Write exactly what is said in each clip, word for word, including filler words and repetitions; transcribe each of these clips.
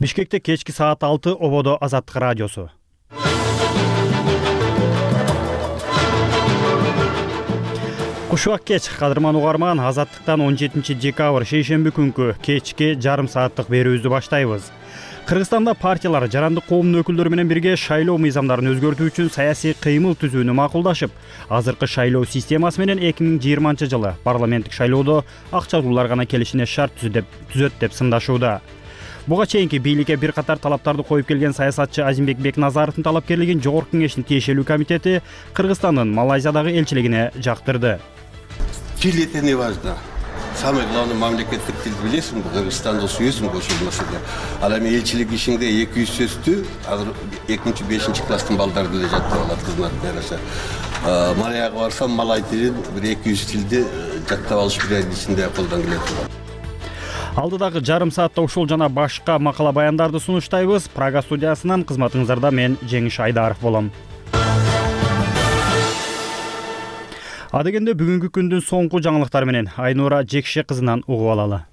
Бишкекте кечки саат алты ободо Азаттык радиосу. Кушубак кеч, кадырман угарман, Азаттыктан он жетинчи декабрь шейшемби күнкү кечки жарым сааттык берүүбүздү баштайбыз. Кыргызстанда партиялар жарандык коомдун өкүлдөрү менен бирге шайлоо мыйзамдарын өзгөртүү үчүн саясий кыймыл түзүүнү макулдашып, азыркы шайлоо системасы менен эки миң жыйырманчы жылы парламенттик шайлоодо акчалуулар гана келишине шарт түзөт деп сындашууда. Буга чейинки бийликке бир катар талаптарды коюп келген саясатчы Азимбек Бекназаровдун талапкерлигин Жогорку Кеңештин тиешелүү комитети Кыргызстандын Малайзиядагы элчилигине жактырды. Тил это не важно. Самый главный мамлекеттик тил билесиңби, Кыргызстанда сүйөсүң кошулмасыда. Ал эми элчилик ишинде эки жүз сөздү азыр экинчи бешинчи класстын балдары деле жаттап алат кызмат берсе. Малайзияга барсам малай тилин бир эки жүз тилди жаттап алыш бир айдын ичинде колдон келет. Алдыдагы жарым саатта ушул жана башка макала баяндарды сунуштайбыз. Прага студиясынан кызматыңыздарда мен Жеңиш Айдаров болом. Адегенде бүгүнкү күндүн соңку жаңылыктары менен Айнура Жекше кызынан угуп алалы.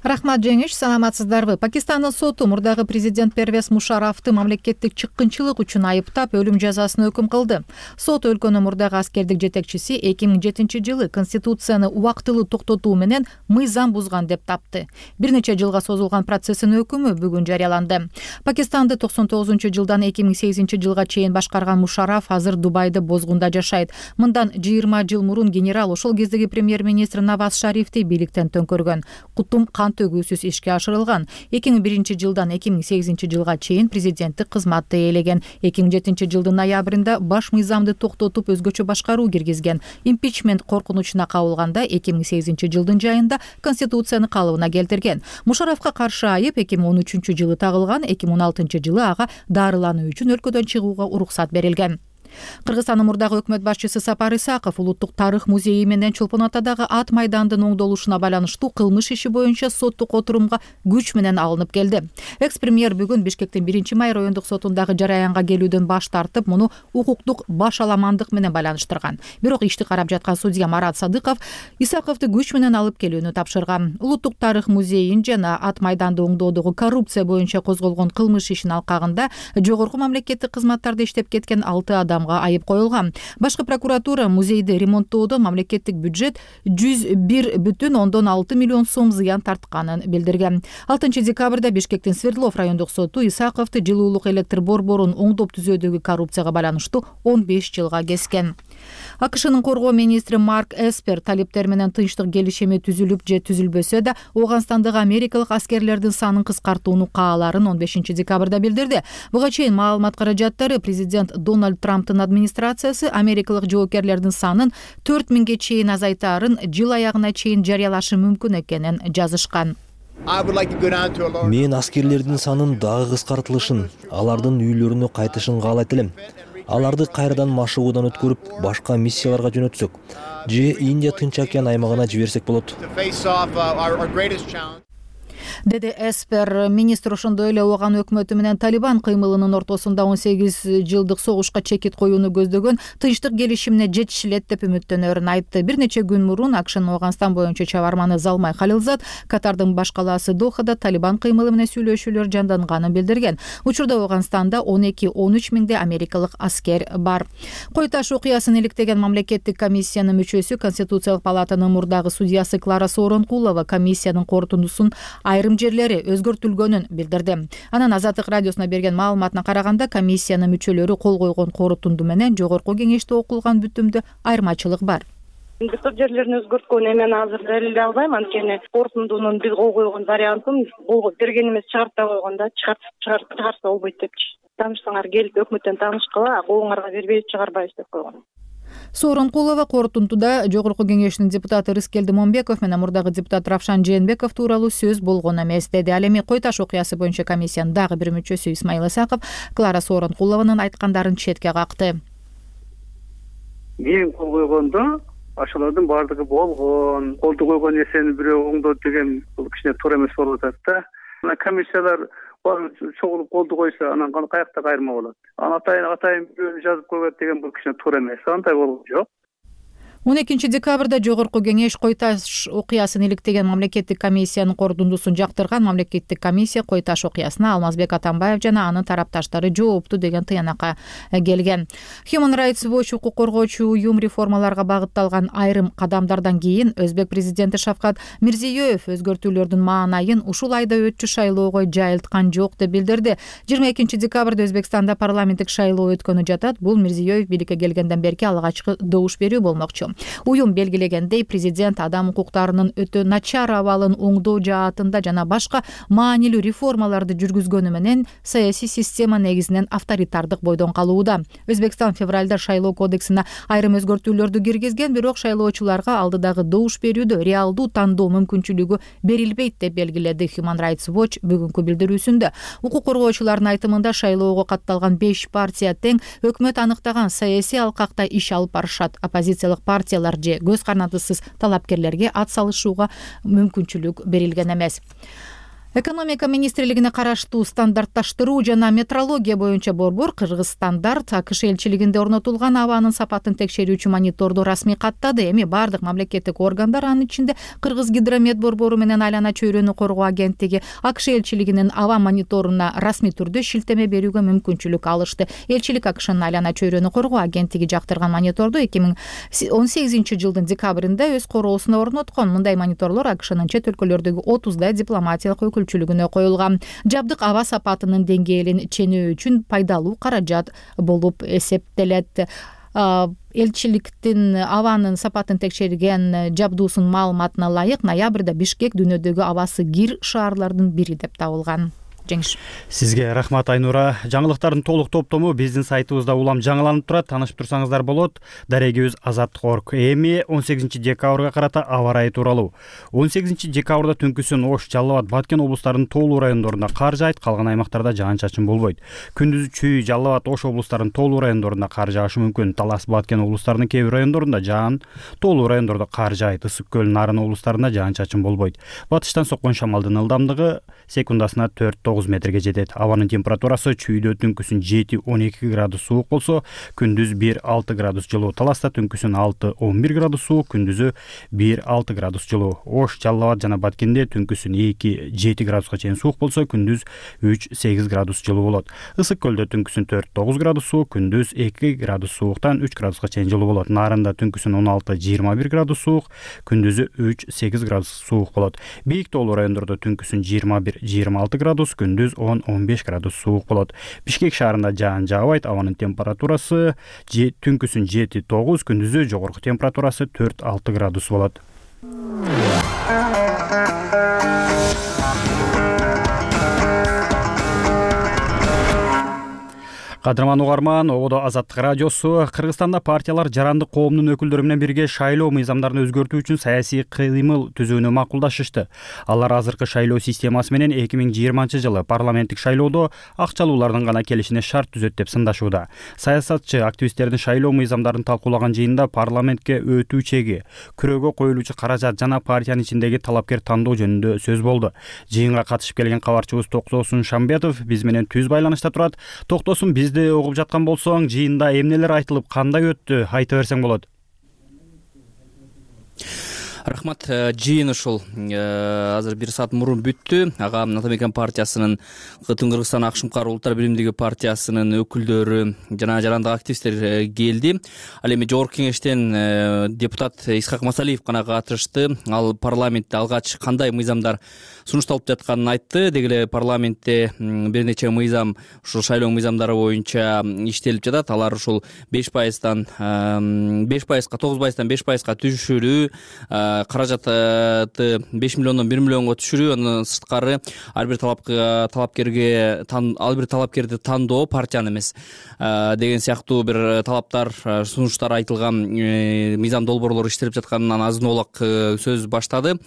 Рахмат Жеңиш, саламатсыздарбы? Пакистандын соту мурдагы президент Первез Мушарафты мамлекеттик чыккынчылык үчүн айыптап, өлүм жазасын өкүм кылды. Сот өлкөнүн мурдагы аскердик жетекчиси эки миң жетинчи жылы конституцияны убактылуу токтотуу менен мыйзам бузган деп тапты. Бир нече жылга созулган процесстин өкүмү бүгүн жарыяланды. Пакистанды токсон тогузунчу жылдан эки миң сегизинчи жылга чейин башкарган Мушараф азыр Дубайда бозгунда жашайт. Мындан жыйырма жыл мурун генерал ошол кездеги премьер-министр Наваз Шарифти бийликтен төңкөргөн. Кутум кан төгүүсүз ишке ашырылган. эки миң биринчи жылдан эки миң сегизинчи жылга чейин президенттик кызматты ээлеген. эки миң жетинчи жылдын ноябрында баш мыйзамды токтотуп өзгөчө башкаруу киргизген. Импичмент коркунучуна кабылганда эки миң сегизинчи жылдын жайында конституцияны калыбына келтирген. Мушарафка каршы айып эки миң он үчүнчү жылы тагылган. эки миң он алтынчы жылы ага дарылануу үчүн өлкөдөн чыгууга уруксат берилген. Кыргызстандын мурдагы өкмөт башчысы Сапар Исаков Улуттук тарых музейи менен Чолпон Атадагы ат майдандын оңдолушуна байланыштуу кылмыш иши боюнча соттук отурумга күч менен алынып келди. Экс-премьер бүгүн Бишкектин биринчи май райондук сотундагы жараянга келүүдөн баш тартып, муну укуктук башаламандык менен байланыштырган. Бирок ишти карап жаткан судья Марат Садыков Исаковду күч менен алып келүүнү тапшырган. Улуттук тарых музейин жана ат майданды оңдоодогу коррупция боюнча козголгон кылмыш ишинин алкагында жогорку мамлекеттик кызматтарда иштеп кеткен алты адам айып коюлган. Башкы прокуратура музейди ремонттоодо мамлекеттик бюджет жүз бир бүтүн ондон алты миллион сом зыян тартканын билдирген. алтынчы декабрда Бишкектин Свердлов райондук соту Исаковду жылуулук электр борборун оңдоп түзөөдөгү коррупцияга байланыштуу он беш жылга кескен. АКШнын коргоо министри Марк Эспер талиптер менен тынчтык келишими түзүлүп же түзүлбөсө да Ооганстандагы америкалык аскерлердин санын кыскартууну кааларын он бешинчи декабрда билдирди. Буга чейин маалымат каражаттары президент Дональд Трамптын администрациясы америкалык жоокерлердин санын төрт миңге чейин азайтаарын жыл аягына чейин жарыялашы мүмкүн экенин жазышкан. Мен аскерлердин санын дагы кыскартылышын, алардын үйлөрүнө кайтышын каалайт элем. Аларды кайрадан машыгуудан өткөрүп, башка миссияларга жөнөтсөк же Индия Тынч океан аймагына жиберсек болот. Деди Эспер. Министр ошондой эле Ооган өкмөтү менен Талибан кыймылынын ортосунда он сегиз жылдык согушка чекит коюуну көздөгөн тынчтык келишимине жетишилет деп үмүттөнөрүн айтты. Бир нече күн мурун АКШнын Ооганстан боюнча чабарманы Залмай Халилзад Катардын баш калаасы Дохада Талибан кыймылы менен сүйлөшүүлөр жанданганын билдирген. Учурда Ооганстанда он эки он үч миңде америкалык аскер бар. Кой таш окуясын иликтеген мамлекеттик комиссиянын мүчөсү Конституциялык палатанын мурдагы судьясы Клара Сооронкулова комиссиянын корутундусун айрым жерлери өзгөртүлгөнүн билдирди. Анан Азаттык радиосуна берген маалыматына караганда комиссиянын мүчөлөрү кол койгон корутунду менен Жогорку Кеңеште окулган бүтүмдө айырмачылык бар. Көп жерлерин өзгөрткөнү мен азыр далилдей албайм, анткени корутундунун биз кол койгон вариантын кол бергенибиз чыгарта койгонда чыгарып чыгарса болбойт депчи. Таанышсаңар келип өкмөттөн таанышкыла, колуңарга бербей чыгарбайбыз деп койгон. Сооронкулова корутундуда Жогорку Кеңештин депутаты Рыскелди Момбеков менен мурдагы депутат Равшан Жээнбеков тууралуу сөз болгон эмес деди. Ал эми Кой таш окуясы боюнча комиссиянын дагы бир мүчөсү Исмаил Исаков Клара Сооронкулованын айткандарын четке какты. Мен кол койгондо ошолордун баардыгы болгон, колду койгон нерсени бирөө оңдойт деген бул кичине туура эмес болуп атат да. Комиссиялар чогулуп колду койсо анан каякта кайрма болот. Анан атайын атайын бирөөнү жазып койгот деген бул кичине туура эмес. Андай болгон жок. он экинчи декабрда жогорку кеңеш Кой Таш окуясын иликтеген мамлекеттик комиссиянын корутундусун жактырган. Мамлекеттик комиссия Кой Таш окуясына Алмазбек Атамбаев жана анын тарапташтары жоопту деген тыянакка келген. Human Rights Watch укук коргоочу уюм реформаларга багытталган айрым кадамдардан кийин өзбек президенти Шавкат Мирзиёев өзгөртүүлөрдүн маанайын ушул айда өтчү шайлоого жайылткан жок деп билдирди. жыйырма экинчи декабрда Өзбекстанда парламенттик шайлоо өткөнү жатат. Бул Мирзиёев бийликке келгенден берки алгачкы добуш берүү болмокчу. Уюм белгилегендей, президент адам укуктарынын өтө начар абалын оңдоо жаатында жана башка маанилүү реформаларды жүргүзгөнү менен саясий система негизинен авторитардык бойдон калууда. Өзбекстан февралда шайлоо кодексине айрым өзгөртүүлөрдү киргизген, бирок шайлоочуларга алдыдагы добуш берүүдө реалдуу тандоо мүмкүнчүлүгү берилбейт деп белгиледи Human Rights Watch бүгүнкү билдирүүсүндө. Укук коргоочулардын айтымында шайлоого катталган беш партия тең өкмөт аныктаган саясий алкакта иш алып барышат. Оппозициялык партиялар же көз карандысыз талапкерлерге ат салышууга мүмкүнчүлүк берилген эмес. Экономика министрлигине караштуу стандартташтыруу жана метрология боюнча борбор Кыргызстандарт АКШ элчилигинде орнотулган абанын сапатын текшерүүчү мониторду расмий каттады. Эми бардык мамлекеттик органдар, анын ичинде Кыргыз гидромет борбору менен Айлана чөйрөнү коргоо агенттиги АКШ элчилигинин аба мониторуна расмий түрдө шилтеме берүүгө мүмкүнчүлүк алышты. Элчилик АКШнын Айлана чөйрөнү коргоо агенттиги жактырган мониторду эки миң он сегизинчи жылдын декабрында өз короосуна орноткон. Мындай мониторлор АКШнын чет өлкөлөрдөгү отуздай дипломатиялык өкүлчүлүгүнө коюлган. Жабдык аба сапатынын деңгээлин ченөө үчүн пайдалуу каражат болуп эсептелет. Элчиликтин абанын сапатын текшерген жабдуусунун маалыматына ылайык ноябрда Бишкек дүйнөдөгү абасы кир шаарлардын бири деп табылган. Жеңиш. Сизге рахмат, Айнура. Жаңылыктардын толук топтому биздин сайтыбызда улам жаңыланып турат. Таанышып турсаңыздар болот. Дарегибиз азаттык точка орг. Эми он сегизинчи декабрга карата аба ырайы тууралуу. он сегизинчи декабрда түнкүсүн Ош, Жалал Абад, Баткен облустарынын тоолуу райондорунда кар жаайт, калган аймактарда жаан-чачын болбойт. Күндүзү Чүй, Жалал Абад, Ош облустарынын тоолуу райондорунда кар жаашы мүмкүн. Талас, Баткен облустарынын кээ бир райондорунда жаан, тоолуу райондордо кар жаайт. Ысык көл, Нарын облустарында жаан-чачын болбойт. Батыштан соккон шамалдын ылдамдыгы секундасына төрт тогуз метрге жетет. Абанын температурасы Чүйдө түнкүсүн жети он эки градус суук болсо, күндүз бир алты градус жылуу. Таласта түнкүсүн алты он бир градус суук, күндүзү бир алты градус жылуу. Ош, Жалал Абад жана Баткенде түнкүсүн эки жети градуска чейин суук болсо, күндүз үч сегиз градус жылуу болот. Ысык көлдө түнкүсүн төрт тогуз градус суук, күндүз эки градус сууктан үч градуска чейин жылуу болот. Нарында түнкүсүн он алты жыйырма бир градус суук, күндүзү үч сегиз градус суук болот. Бийик тоолуу райондордо түнкүсүн жыйырма бир жыйырма алты градус, күндүз он он беш градус суук болот. Бишкек шаарында жаан жаабайт. Абанын температурасы түнкүсүн жети тогуз, күндүзү жогорку температурасы төрт алты градус болот. Кадырман угарман, ободо Азаттык радиосу. Кыргызстанда партиялар жарандык коомдун өкүлдөрү менен бирге шайлоо мыйзамдарын өзгөртүү үчүн саясий кыймыл түзүүнү макулдашышты. Алар азыркы шайлоо системасы менен эки миң жыйырманчы жылы парламенттик шайлоодо акчалуулардын гана келишине шарт түзөт деп сындашууда. Саясатчы активисттердин шайлоо мыйзамдарын талкуулаган жыйында парламентке өтүү чеги, күрөөгө коюлуучу каражат жана партиянын ичиндеги талапкер тандоо жөнүндө сөз болду. Жыйынга катышып келген кабарчыбыз Токтосун Шамбетов биз менен түз байланышта турат. Токтосун, бизди угуп жаткан болсоң, жыйында эмнелер айтылып, кандай өттү, айта берсең болот. Рахмат. Жыйын ушул азыр бир саат мурун бүттү. Ага Атамекен партиясынын, Кытым Кыргызстан Акшымкар Улуттар биримдиги партиясынын өкүлдөрү жана жарандык активисттер келди. Ал эми жогорку кеңештен депутат Исхак Масалиев гана катышты. Ал парламентте алгач кандай мыйзамдар сунушталып жатканын айтты. Деги эле парламентте бир нече мыйзам, ушул шайлоо мыйзамдары боюнча иштелип жатат. Алар ушул беш пайыздан беш пайызга, тогуз пайыздан беш пайызга түшүрүү, каражатты беш миллиондон бир миллионго түшүрүү, андан сырткары ар бир талапкерге ар бир талапкерди тандоо, партияны эмес деген сыяктуу бир талаптар, сунуштар айтылган мыйзам долбоорлор иштелип жатканынан азын оолак сөз баштады.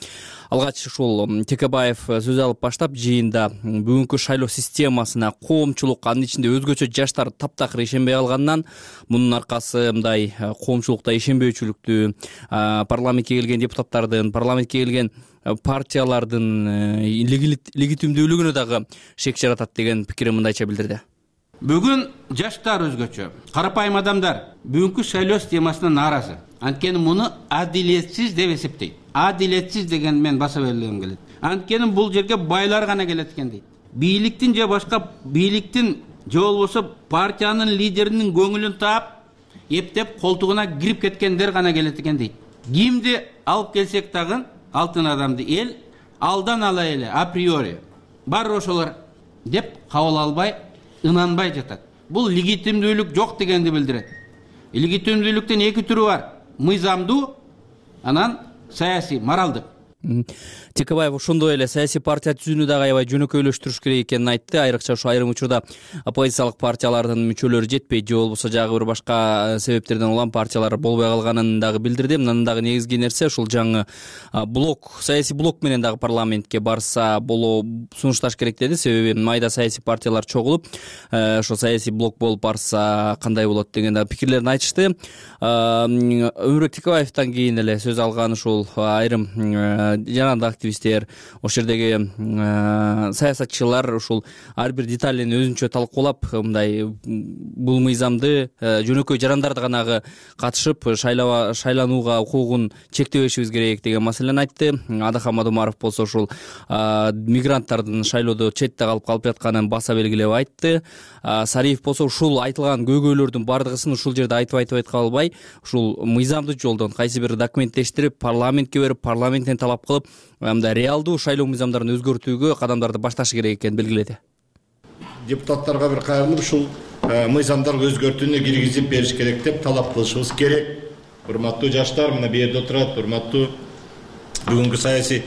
Алгач ушул Текебаев сөз алып баштап, жыйында бүгүнкү шайлоо системасына коомчулук, анын ичинде өзгөчө жаштар таптакыр ишенбей калганынан, мунун аркасы мындай коомчулукта ишенбөөчүлүктү, парламентке келген депутаттардын, парламентке келген партиялардын легитимдүүлүгүнө дагы шек жаратат деген пикирин мындайча билдирди. Бүгүн жаштар өзгөчө, карапайым адамдар бүгүнкү шайлоо системасына нааразы. Анткени муну адилетсиз деп эсептейт. Адилетсиз деген мен баса белгилегим келет. Анткени бул жерге байлар гана келет экен дейт. Бийликтин же башка бийликтин же болбосо партиянын лидеринин көңүлүн таап, эптеп колтугуна кирип кеткендер гана келет экен дейт. Кимди алып келсек дагы, алтын адамды эл алдан ала эле априори бар ошолор деп кабыл албай, ынанбай жатат. Бул легитимдүүлүк жок дегенди билдирет. Легитимдүүлүктүн эки түрү бар: мыйзамдуу, анан саясий, моралдык. Текебаев ошондой эле саясий партия түзүүнү дагы аябай жөнөкөйлөштүрүш керек экенин айтты. Айрыкча ушу айрым учурда оппозициялык партиялардын мүчөлөрү жетпей же болбосо жагы бир башка себептерден улам партиялар болбой калганын дагы билдирди. Мындан дагы негизги нерсе ушул жаңы блок, саясий блок менен дагы парламентке барса боло сунушташ керек деди. Себеби майда саясий партиялар чогулуп, ошо саясий блок болуп барса кандай болот деген дагы пикирлерин айтышты. Өмүрбек Текебаевден кийин эле сөз алган ушул айрым жаранды активисттер, ошол жердеги саясатчылар ушул ар бир деталин өзүнчө талкуулап, мындай бул мыйзамды жөнөкөй жарандарды гана катышып шайланууга укугун чектебешибиз керек деген маселени айтты. Адахан Мадумаров болсо ушул мигранттардын шайлоодо четте калып калып жатканын баса белгилеп айтты. Сариев болсо ушул айтылган көйгөйлөрдүн бардыгысын ушул жерде айтып айтып айткан албай, ушул мыйзамдуу жолдон кайсы бир документтештирип, парламентке берип, парламенттен талап кылып, мындай реалдуу шайлоо мыйзамдарын өзгөртүүгө кадамдарды башташы керек экенин белгиледи. Депутаттарга бир кайрылып, ушул мыйзамдарды өзгөртүүнү киргизип бериш керек деп талап кылышыбыз керек. Урматтуу жаштар, мына бу жерде отурат, урматтуу бүгүнкү саясий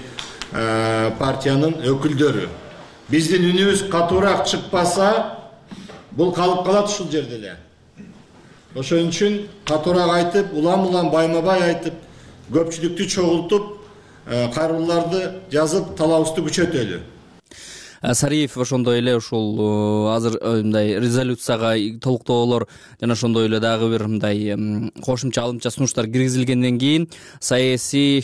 партиянын өкүлдөрү. Биздин үнүбүз катуураак чыкпаса, бул калып калат ушул жерде эле. Ошон үчүн катуураак айтып, улам-улам байма-бай айтып, көпчүлүктү чогултуп, кайрылууларды жазып, талабыбызды күчөтөлү. Сариев ошондой эле ушул азыр мындай резолюцияга толуктоолор жана ошондой эле дагы бир мындай кошумча алымча сунуштар киргизилгенден кийин саясий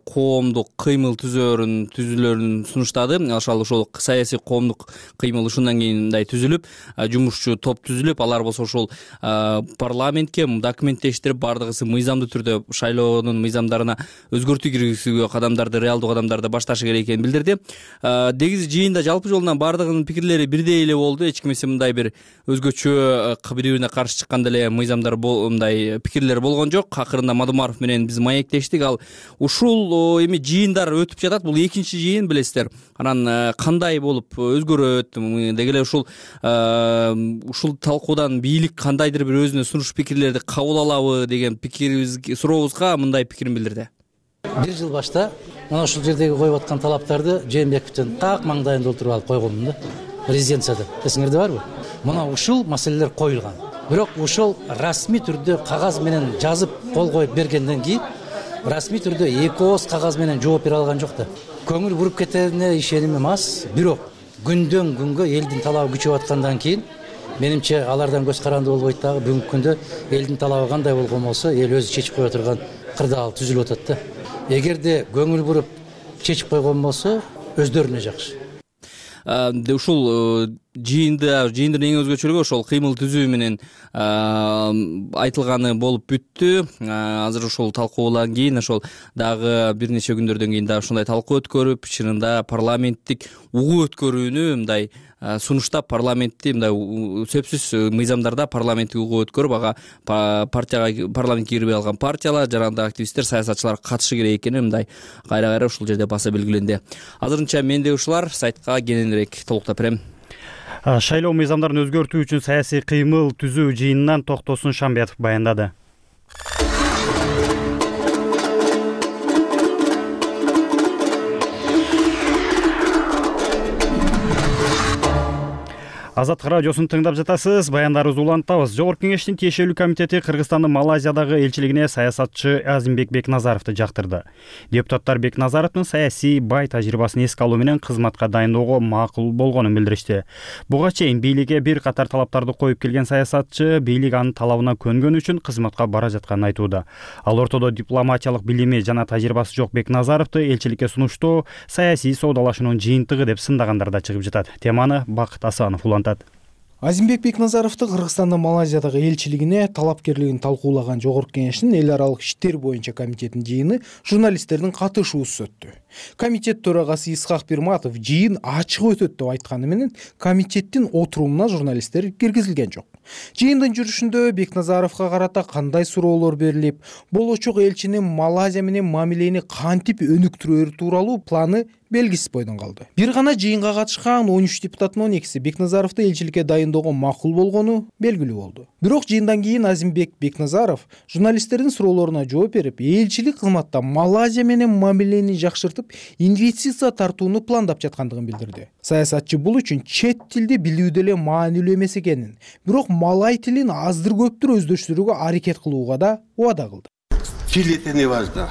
коомдук кыймыл түзөөрүн түзүлөрүн сунуштады. Ошол ошол саясий коомдук кыймыл ушундан кийин мындай түзүлүп, жумушчу топ түзүлүп, алар болсо ушул парламентке документтештирип, бардыгысы мыйзамдуу түрдө шайлоонун мыйзамдарына өзгөртүү киргизүүгө кадамдарды, реалдуу кадамдарды башташы керек экенин билдирди. Негизи жыйында жалпы жолунан бардыгынын пикирлери бирдей эле болду. Эч кимсе мындай бир өзгөчө бири-бирине каршы чыккан деле мыйзамдар мындай пикирлер болгон жок. Акырында Мадумаров менен биз маектештик. Ал ушул эми жыйындар өтүп жатат. Бул экинчи жыйын, билесиздер. Анан кандай болуп өзгөрөт деги эле ушул ушул талкуудан бийлик кандайдыр бир өзүнө сунуш пикирлерди кабыл алабы деген пикирибиз сурообузга мындай пикирин билдирди. Бир жыл башта мына ушул жердеги коюп аткан талаптарды Жээнбековдун так маңдайында отуруп алып койгонмун да, резиденцияда. Эсиңерде барбы? Мына ушул маселелер коюлган. Бирок ушул расмий түрдө кагаз менен жазып кол коюп бергенден кийин расмий түрдө эки ооз кагаз менен жооп бере алган жок да. Көңүл буруп кетерине ишенимим аз. Бирок күндөн күнгө элдин талабы күчөп аткандан кийин менимче алардан көз каранды болбойт дагы. Бүгүнкү күндө элдин талабы кандай болгон болсо, эл өзү чечип кое турган кырдаал түзүлүп атат да. Эгерде көңүл буруп чечип койгон болсо, өздөрүнө жакшы. Ушул жыйында жыйындын эң өзгөчөлүгү ошол кыймыл түзүү менен айтылганы болуп бүттү. Азыр ушул талкуудан кийин ошол дагы бир нече күндөрдөн кийин дагы ушундай талкуу өткөрүп, чынында парламенттик угуу өткөрүүнү мындай сунуштап, парламентти мындай сөзсүз мыйзамдарда парламенттик угуу өткөрүп, ага партияга парламентке кирбей алган партиялар, жаранды активисттер, саясатчылар катышы керек экени мындай кайра-кайра ушул жерде баса белгиленди. Азырынча менде ушулар, сайтка кененирээк толуктап берем. Шайлоо мыйзамдарын өзгөртүү үчүн саясий кыймыл түзүү жыйынынан Токтосун Шамбетов баяндады. Азаттык радиосун тыңдап жатасыз. Баяндарыбызды улантабыз. Жогорку кеңештин тиешелүү комитети Кыргызстандын Малайзиядагы элчилигине саясатчы Азимбек Бекназаровду жактырды. Депутаттар Бекназаровдун саясий бай тажрыйбасын эске алуу менен кызматка дайындоого макул болгонун билдиришти. Буга чейин бийликке бир катар талаптарды коюп келген саясатчы бийлик анын талабына көнгөн үчүн кызматка бара жатканын айтууда. Ал ортодо дипломатиялык билими жана тажрыйбасы жок Бекназаровду элчиликке сунуштоо саясий соодалашуунун жыйынтыгы деп сындагандар да чыгып жатат. Теманы Бакыт Асанов улантат. Азимбек Бекназаровду Кыргызстандын Малайзиядагы элчилигине талапкерлигин талкуулаган Жогорку Кеңештин эл аралык иштер боюнча комитетинин жыйыны журналисттердин катышуусуз өттү. Комитет төрагасы Исхак Бирматов жыйын ачык өтөт деп айтканы менен комитеттин отурумуна журналисттер киргизилген жок. Жыйындын жүрүшүндө Бекназаровго карата кандай суроолор берилип, болочок элчинин Малайзия менен мамилени кантип өнүктүрөөрү тууралуу планы белгисиз бойдон калды. Бир гана жыйынга катышкан он үч депутаттын он экиси Бекназаровду элчиликке дайындоого макул болгону белгилүү болду. Бирок жыйындан кийин Азимбек Бекназаров журналисттердин суроолоруна жооп берип, элчилик кызматта Малайзия менен мамилени жакшыртып, инвестиция тартууну пландап жаткандыгын билдирди. Саясатчы бул үчүн чет тилди билүү деле маанилүү эмес экенин, бирок малай тилин аздыр көптүр өздөштүрүүгө аракет кылууга да убада кылды. Тил это не важно.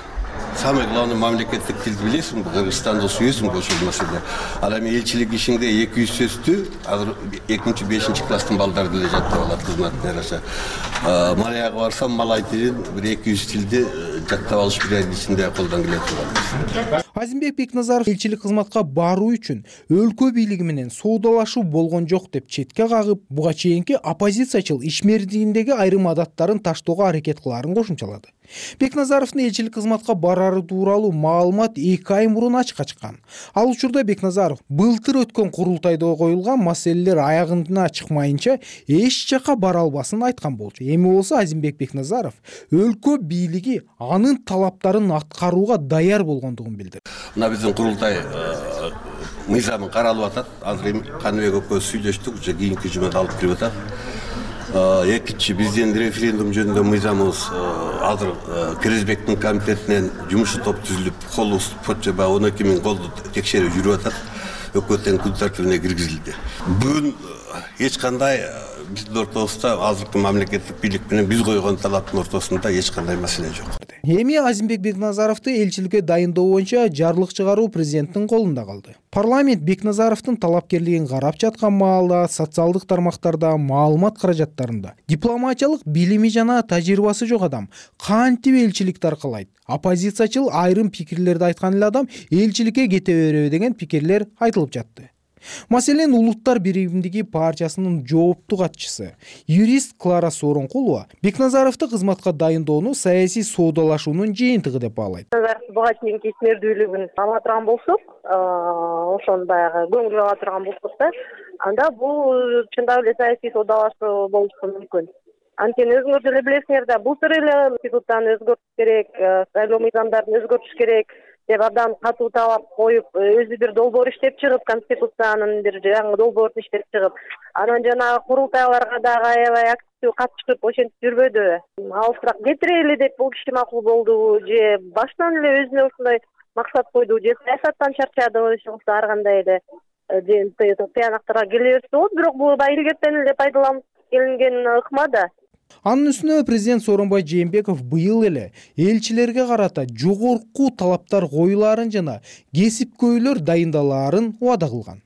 Самый главный мамлекеттик тилди билесиңби? Кыргызстанда сүйөсүң кошулмасында. Ал эми элчилик ишинде эки жүз сөздү азыр экинчи бешинчи класстын балдары деле жаттап алат кызматтын жараша. Малайга барсам малай тилин бир эки жүз тилди жаттап алыш бир айдын ичинде колдон келе турат. Азимбек Бекназаров элчилик кызматка баруу үчүн өлкө бийлиги менен соодалашуу болгон жок деп четке кагып, буга чейинки оппозициячыл ишмердигиндеги айрым адаттарын таштоого аракет кылаарын кошумчалады. Бекназаровдун элчилик кызматка барары тууралуу маалымат эки ай мурун ачыкка чыккан. Ал учурда Бекназаров былтыр өткөн курултайда коюлган маселелер аягына чыкмайынча эч жакка бара албасын айткан болчу. Эми болсо Азимбек Бекназаров өлкө бийлиги анын талаптарын аткарууга даяр болгондугун билдирди. Мына биздин курултай мыйзамы каралып атат. Азыр Каныбек экөөбүз сүйлөштүк, уже кийинки жумада алып кирип атат. Экинчи биздин референдум жөнүндө мыйзамыбыз азыр Киризбектин комитетинен жумуш топ түзүлүп, кол почта баягы он эки миң колду текшерүү жүрүп атат. Өкмөттүн күн тартибине киргизилди. Бүгүн эч кандай биздин ортобузда азыркы мамлекеттик бийлик менен биз койгон талаптын ортосунда эч кандай маселе жок. Эми Азимбек Бекназаровду элчиликке дайындоо боюнча жарлык чыгаруу президенттин колунда калды. Парламент Бекназаровдун талапкерлигин карап жаткан маалда социалдык тармактарда маалымат каражаттарында дипломатиялык билими жана тажрыйбасы жок адам кантип элчиликти аркалайт? Оппозициячыл айрым пикирлерди айткан эле адам элчиликке кете береби деген пикирлер айтылып жатты. Маселен, Улуттар биримдиги партиясынын жооптуу катчысы, юрист Клара Сооронкулова Бекназаровду кызматка дайындоону саясий соодалашуунун жыйынтыгы деп баалайт. Буга чейинки ишмердүүлүгүн ала турган болсок, ошону баягы көңүлгө ала турган болсок да, анда бул чындап эле саясий соодалашуу болушу мүмкүн. Анткени өзүңөр деле билесиңер да, былтыр эле институттан өзгөртүш керек, шайлоо мыйзамдарын өзгөртүш керек деп абдан катуу талап коюп, өзү бир долбоор иштеп чыгып, конституциянын бир жаңы долбоорун иштеп чыгып, анан жанагы курултайларга дагы аябай активдүү катышып ошентип жүрбөдүбү? Алыстыраак кетирели деп бул киши макул болдубу, же баштан эле өзүнө ушундай максат койду, же саясаттан чарчадыбы, же болбосо ар кандай эле тыянактарга келе берсе болот, бирок бул да илгертен эле пайдаланып келинген ыкма да. Анын үстүнө президент Сооронбай Жээнбеков быйыл эле элчилерге карата жогорку талаптар коюлаарын жана кесипкөйлөр дайындалаарын убада кылган.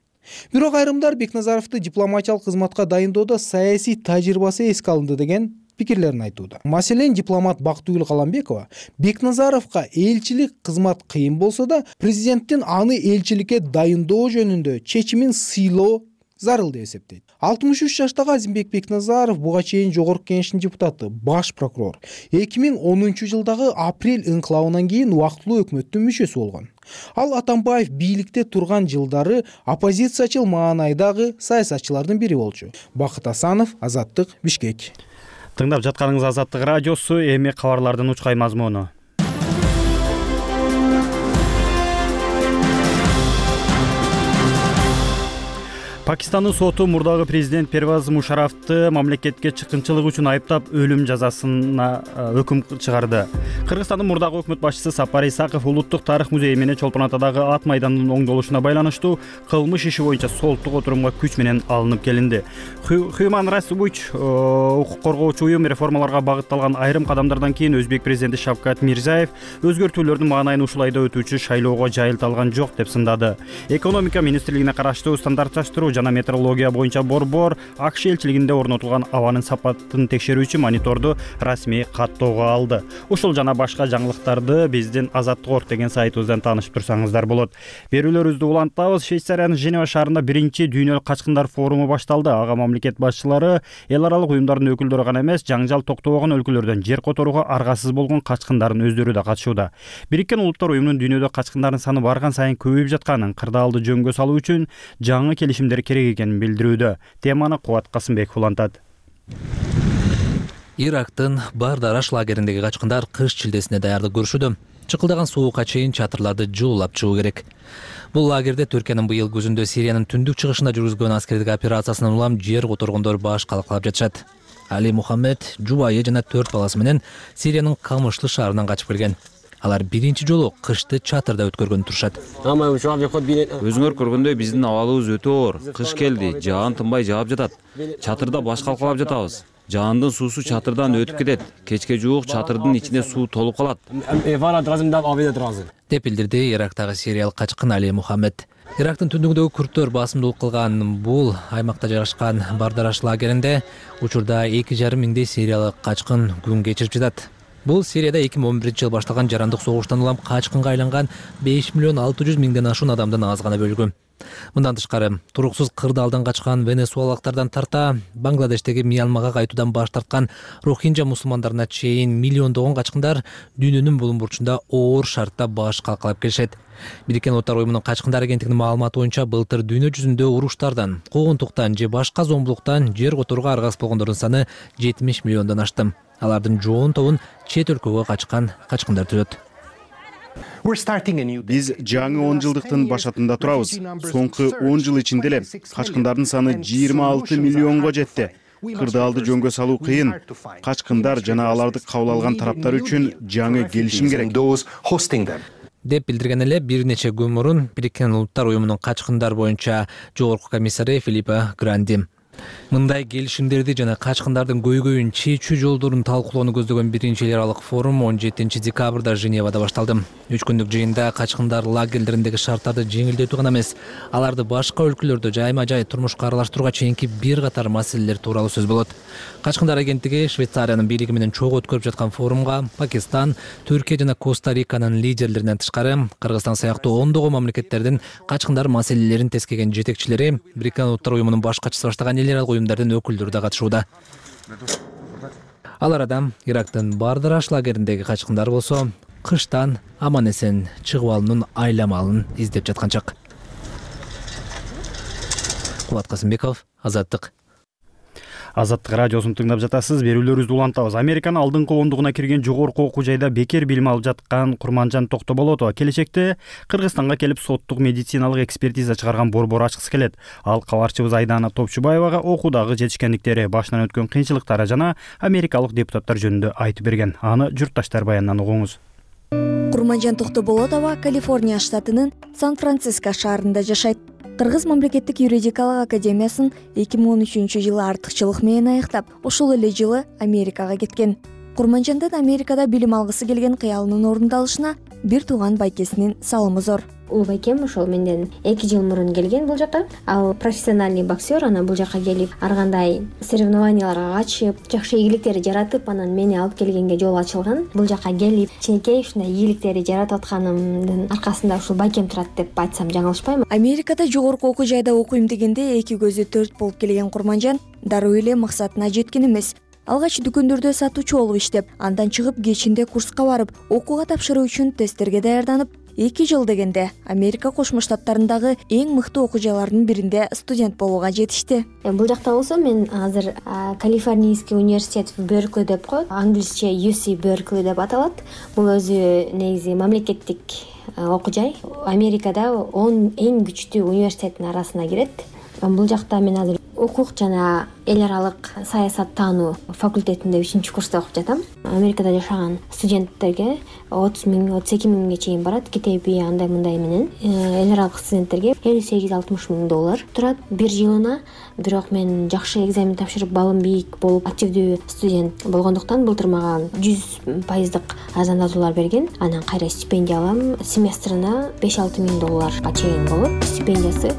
Бирок айрымдар Бекназаровду дипломатиялык кызматка дайындоодо саясий тажрыйбасы эске алынды деген пикирлерин айтууда. Маселен, дипломат Бактыгүл Каламбекова Бекназаровго элчилик кызмат кыйын болсо да, президенттин аны элчиликке дайындоо жөнүндө чечимин сыйлоо зарыл деп эсептейт. алтымыш үч жаштагы Азимбек Бекназаров буга чейин Жогорку Кеңештин депутаты, баш прокурор. эки миң онунчу жылдагы апрель инкылабынан кийин убактылуу өкмөттүн мүчөсү болгон. Ал Атамбаев бийликте турган жылдары оппозициячыл маанайдагы саясатчылардын бири болчу. Бакыт Асанов, Азаттык, Бишкек. Тыңдап жатканыңыз Азаттык радиосу, эми кабарлардын учкай мазмуну. Пакистандын соту мурдагы президент Первез Мушарафты мамлекетке чыккынчылык үчүн айыптап өлүм жазасына өкүм чыгарды. Кыргызстандын мурдагы өкмөт башчысы Сапар Исаков Улуттук тарых музейи менен Чолпон Атадагы ат майданынын оңдолушуна байланыштуу кылмыш иши боюнча соттук отурумга күч менен алынып келинди. Human Rights Watch укук коргоочу уюм реформаларга багытталган айрым кадамдардан кийин Өзбек президенти Шавкат Мирзиев өзгөртүүлөрдүн маанайын ушул айда өтүүчү шайлоого жайылта алган жок деп сындады. Экономика министрлигине караштуу стандартташтыруу жана метеорология боюнча борбор АКШ элчилигинде орнотулган абанын сапатын текшерүүчү мониторду расмий каттоого алды. Ушул жана башка жаңылыктарды биздин Азаттык орг деген сайтыбыздан таанышып турсаңыздар болот. Берүүлөрүбүздү улантабыз. Швейцариянын Женева шаарында биринчи дүйнөлүк качкындар форуму башталды. Ага мамлекет башчылары эл аралык уюмдардын өкүлдөрү гана эмес, жаңжал токтобогон өлкөлөрдөн жер которууга аргасыз болгон качкындардын өздөрү да катышууда. Бириккен Улуттар уюмунун дүйнөдө качкындардын саны барган сайын көбөйүп жатканын, кырдаалды жөнгө салуу үчүн жаңы келишимдер керек экенин билдирүүдө. Теманы Кубат Касымбеков улантат. Ирактын Бардараш лагериндеги качкындар кыш чилдесине даярдык көрүшүүдө. Чыкылдаган суукка чейин чатырларды жуулап чыгуу керек. Бул лагерде Түркиянын быйыл күзүндө Сириянын түндүк чыгышында жүргүзгөн аскердик операциясынан улам жер которгондор баш калкалап жатышат. Али Мухаммед жубайы жана төрт баласы менен Сириянын Камышлы шаарынан качып келген. Алар биринчи жолу кышты чатырда өткөргөн турушат. Өзүңөр көргөндөй биздин абалыбыз өтө оор. Кыш келди, жаан тынбай жаап жатат. Чатырда баш калкалап жатабыз. Жаандын суусу чатырдан өтүп кетет. Кечке жуук чатырдын ичине суу толуп калат. Деп билдирди Ирактагы сириялык качкын Али Мухаммед. Ирактын түндүгүндөгү күрттөр басымдуулук кылган бул аймакта жайгашкан Бардараш лагеринде учурда эки жарым миңдей сириялык качкын күн кечирип жатат. Бул Сирияда эки миң он биринчи жылы башталган жарандык согуштан улам качкынга айланган беш миллион алты жүз миңден ашуун адамдын аз гана бөлүгү. Мындан тышкары, туруксуз кырдаалдан качкан венесуэлалыктардан тарта, Бангладештеги Мьянмага кайтуудан баш тарткан Рохинджа мусулмандарына чейин миллиондогон качкындар дүйнөнүн булуң бурчунда оор шартта баш калкалап келишет. Бириккен Улуттар уюмунун качкындар агенттигинин маалыматы боюнча былтыр дүйнө жүзүндө уруштардан, куугунтуктан же башка зомбулуктан жер которууга аргасыз болгондордун саны жетимиш миллиондон ашты. Алардын жоон тобун чет өлкөгө качкан качкындар түзөт. Биз жаңы он жылдыктын башатында турабыз. Соңку он жыл ичинде эле качкындардын саны жыйырма алты миллионго жетти. Кырдаалды жөнгө салуу кыйын. Качкындар жана аларды кабыл алган тараптар үчүн жаңы келишим керек. Деп билдирген эле бир нече күн мурун Бириккен Улуттар уюмунун качкындар боюнча жогорку комиссары Филиппо Гранди. Мындай келишимдерди жана качкындардын көйгөйүн чечүү жолдорун талкуулоону көздөгөн биринчи эл аралык форум он жетинчи декабрда Женевада башталды. Үч күндүк жыйында качкындар лагерлериндеги шарттарды жеңилдетүү гана эмес, аларды башка өлкөлөрдө жайма-жай турмушка аралаштырууга чейинки бир катар маселелер тууралуу сөз болот. Качкындар агенттиги Швейцариянын бийлиги менен чогуу өткөрүп жаткан форумга Пакистан, Түркия жана Коста-Риканын лидерлеринен тышкары Кыргызстан сыяктуу ондогон мамлекеттердин качкындар маселелерин тескеген жетекчилери, Бириккен Улуттар уюмунун баш катчысы баштаган эл аралык уюмдардын өкүлдөрү да катышууда. Ал арада Ирактын Бардараш лагериндеги качкындар болсо кыштан аман эсен чыгып алуунун айламалын издеп жаткан чак. Кубат Касымбеков, Азаттык. Азаттык радиосун тыңдап жатасыз. Берүүлөрүбүздү улантабыз. Американын алдыңкы ондугуна кирген жогорку окуу жайда бекер билим алып жаткан Курманжан Токтоболотова келечекте Кыргызстанга келип соттук медициналык экспертиза чыгарган борбор ачкысы келет. Ал кабарчыбыз Айдана Топчубаевага окуудагы жетишкендиктери, башынан өткөн кыйынчылыктары жана америкалык депутаттар жөнүндө айтып берген. Аны журтташтар баянынан угуңуз. Курманжан Токтоболотова Калифорния штатынын Сан-Франциско шаарында жашайт. Кыргыз мамлекеттик юридикалык академиясын эки миң он үчүнчү жылы артыкчылык менен аяктап, ошол эле жылы Америкага кеткен. Курманжандын Америкада билим алгысы келген кыялынын орундалышына бир тууган байкесинин салымы зор. Улуу байкем ошол менден эки жыл мурун келген бул жака. Ал профессиональный боксер, анан бул жака келип ар кандай соревнованияларга катышып, жакшы ийгиликтерди жаратып, анан мени алып келгенге жол ачылган. Бул жака келип, ченекей ушундай ийгиликтерди жаратып атканымдын аркасында ушул байкем турат деп айтсам жаңылышпайм. Америкада жогорку окуу жайда окуйм дегенде эки көзү төрт болуп келген Курманжан дароо эле максатына жеткен эмес. Алгач дүкөндөрдө сатуучу болуп иштеп, андан чыгып кечинде курска барып, окууга тапшыруу үчүн тесттерге даярданып, эки жыл дегенде Америка Кошмо Штаттарындагы эң мыкты окуу жайлардын биринде студент болууга жетишти. Бул жакта болсо мен азыр Калифорнийский университет в Беркли деп коет, англисче ю си Беркли деп аталат. Бул өзү негизи мамлекеттик окуу жай. Америкада он эң күчтүү университеттин арасына кирет. Бул жакта мен азыр укук жана эл аралык саясаттануу факультетинде үчүнчү курста окуп жатам. Америкада жашаган студенттерге отуз миң, отуз эки миңге чейин барат. Китеби андай мындай менен эл аралык студенттерге элүү сегиз алтымыш миң доллар турат бир жылына. Бирок мен жакшы экзамен тапшырып, балым бийик болуп, активдүү студент болгондуктан былтыр мага жүз пайыздык арзандатуулар берген. Анан кайра стипендия алам. Семестрына беш алты миң долларга чейин болот стипендиясы.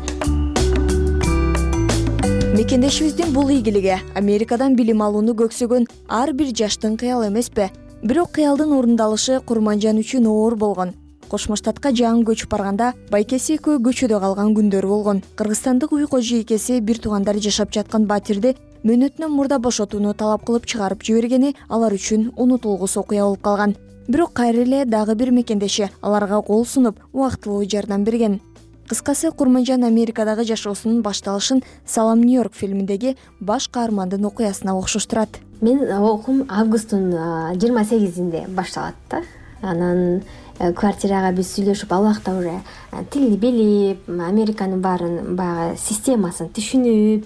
мекендешибиздин бул ийгилиги Америкадан билим алууну көксөгөн ар бир жаштын кыялы эмеспи? Бирок кыялдын орундалышы Курманжан үчүн оор болгон. Кошмо Штатка жаңы көчүп барганда байкеси экөө көчөдө калган күндөрү болгон. Кыргызстандык уй кожойкеси бир туугандар жашап жаткан батирди мөөнөтүнөн мурда бошотууну талап кылып чыгарып жибергени алар үчүн унутулгус окуя болуп калган. Бирок кайра эле дагы бир мекендеши аларга кол сунуп, убактылуу жардам берген. Кыскасы, Курманжан Америкадагы жашоосунун башталышын Салам Нью-Йорк фильминдеги баш каармандын окуясына окшоштурат. Мен окуум августтун жыйырма сегизинде башталат да. Анан квартирага биз сүйлөшүп, ал убакта уже тилди билип, Американын баарын баягы системасын түшүнүп,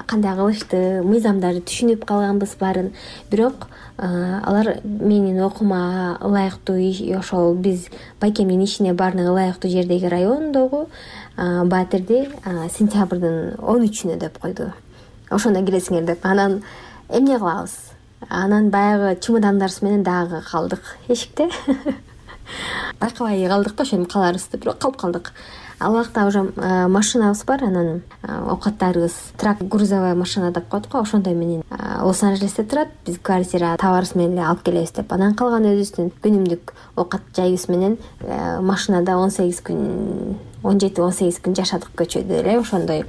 кандай кылышты, мыйзамдарды түшүнүп калганбыз баарын. Бирок алар менин окуума ылайыктуу, ошол биз байкемдин ишине баарына ылайыктуу жердеги райондогу батирди сентябрдын он үчүнө деп койду. Ошондо киресиңер деп. Анан эмне кылабыз? Анан баягы чемодандарыбыз менен дагы калдык эшикте. Байкабай калдык да, ошентип каларбызды, бирок калып калдык. Ал убакта уже машинабыз бар, анан оокаттарыбыз трак грузовая машина деп коет го, ошондой менен Лос-Анджелесте турат. Биз квартира табарыбыз менен эле алып келебиз деп. Анан калган өзүбүздүн күнүмдүк оокат жайыбыз менен машинада он сегиз күн, он жети он сегиз күн жашадык көчөдө эле. Ошондой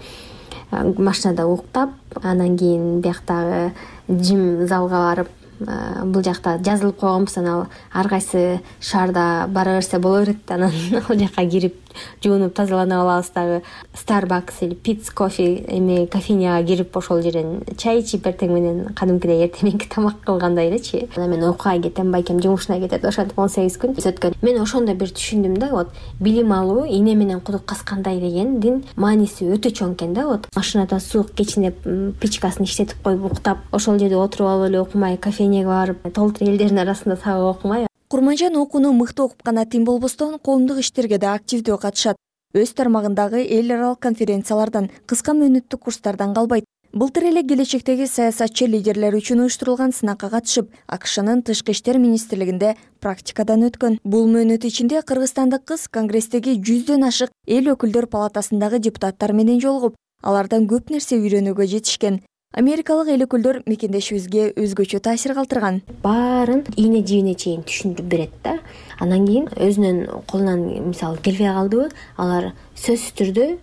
машинада уктап, анан кийин бияктагы жим залга барып, бул жакта жазылып койгонбуз. Анан ар кайсы шаарда бара берсе боло берет. Анан ал жака кирип жуунуп тазалана алабыз. Дагы Starbucks или Pitts Coffee эме кофейняга кирип ошол жерден чай ичип эртең менен кадимкидей эртеңки тамак кылгандай элечи. Анан мен окууга кетем, байкем жумушуна кетет. Ошентип он сегиз күн өткөн. Мен ошондо бир түшүндүм да, вот билим алуу эне менен кудук каскандай дегендин мааниси өтө чоң экен да. Вот машинада суук кечине печкасын иштетип коюп уктап, ошол жерде отуруп алып эле окумай, кофейняга барып, толтур элдердин арасында сабак окумай. Курманжан окууну мыкты окуп гана тим болбостон, коомдук иштерге да активдүү катышат. Өз тармагындагы эл аралык конференциялардан, кыска мөөнөттүк курстардан калбайт. Былтыр эле келечектеги саясатчы лидерлер үчүн уюштурулган сынакка катышып, АКШнын Тышкы иштер министрлигинде практикадан өткөн. Бул мөөнөт ичинде кыргызстандык кыз Конгресстеги жүздөн ашык эл өкүлдөр палатасындагы депутаттар менен жолугуп, алардан көп нерсе үйрөнүүгө жетишкен. Америкалык эл өкүлдөр мекендешибизге өзгөчө таасир калтырган. Баарын ийне жибине чейин түшүндүрүп берет да. Анан кийин өзүнүн колунан мисалы келбей калдыбы, алар сөзсүз түрдө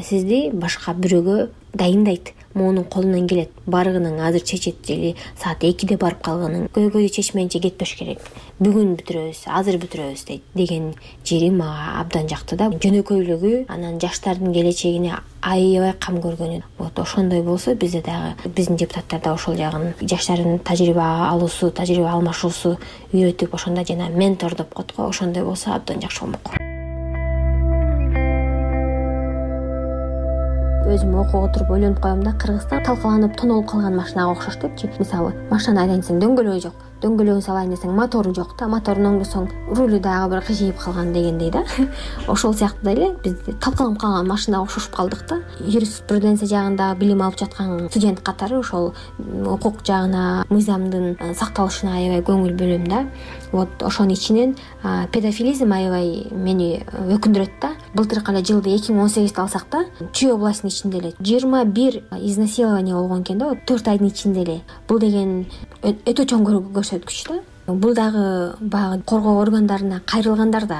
сизди башка бирөөгө дайындайт. Монун колунан келет. Барыгының азыр чечет или саат экиде барып калганын көйгөйдү чечмейинче кетпеш керек. Бүгүн бүтүрөбүз, азыр бүтүрөбүз дейт деген жери мага абдан жакты да. Жөнөкөйлүгү, анан жаштардын келечегине аябай кам көргөнү. Вот ошондой болсо бизде дагы биздин депутаттар да ошол жагын жаштардын тажрыйба алуусу, тажрыйба алмашуусу үйрөтүп, ошондо жана ментор деп коет го, ошондой болсо абдан жакшы болмок. Өзүм окууга отуруп ойлонуп коем да, Кыргызстан талкаланып тонолуп калган машинага окшош депчи. Мисалы, машинаны айдайын десең дөңгөлөгү жок, дөңгөлөгүн салайын десең мотору жок да, моторун оңдосоң рулю дагы бир кыжыйып калган дегендей да. Ошол сыяктуу эле биз талкаланып калган машинага окшошуп калдык да. Юриспруденция жагында билим алып жаткан студент катары ошол укук жагына, мыйзамдын сакталышына аябай көңүл бөлөм да. Вот ошонун ичинен педофилизм аябай мени өкүндүрөт да. Былтыркы эле жылды эки миң он сегизди алсак да, Чүй областынын ичинде эле жыйырма бир изнасилование болгон экен да, төрт айдын ичинде эле. Бул деген өтө чоң көрсөткүч да. Бул дагы баягы коргоо органдарына кайрылгандар да,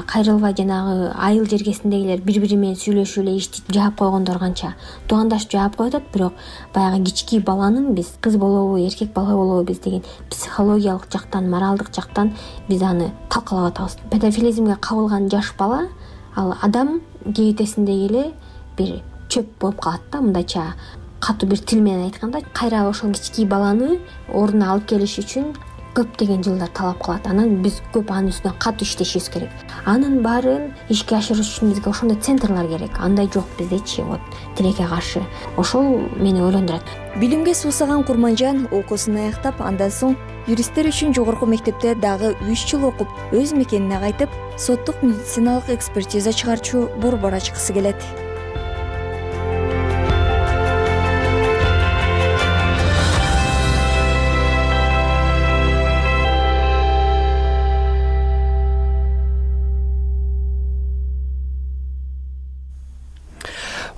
кайрылбай жанагы айыл жергесиндегилер бири-бири менен сүйлөшүп эле иштеп жаап койгондор канча туугандашып жаап коюп атат. Бирок баягы кички баланын биз кыз болобу, эркек бала болобу биз деген психологиялык жактан, моралдык жактан биз аны талкалап атабыз. Педофилизмге кабылган жаш бала ал адам кебетесиндеги эле бир чөп болуп калат да, мындайча катуу бир тил менен айтканда. Кайра ошол кички баланы ордуна алып келиш үчүн көптөгөн жылдар талап кылат. Анан биз көп анын үстүнө катуу иштешибиз керек. Анын баарын ишке ашырыш үчүн бизге ошондой центрлар керек. Андай жок биздечи, вот тилекке каршы. Ошол мени ойлондурат. Билимге суусаган Курманжан окуусун аяктап, андан соң юристтер үчүн жогорку мектепте дагы үч жыл окуп, өз мекенине кайтып, соттук медициналык экспертиза чыгарчу борбор ачкысы келет.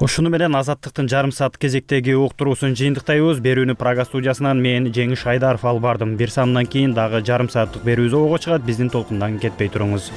Ушуну менен Азаттыктын жарым саат кезектеги уктуруусун жыйынтыктайбыз. Берүүнү Прага студиясынан мен Жеңиш Айдаров алып бардым. Бир санынан кийин дагы жарым сааттык берүү зоого чыгат. Биздин толкундан кетпей туруңуз.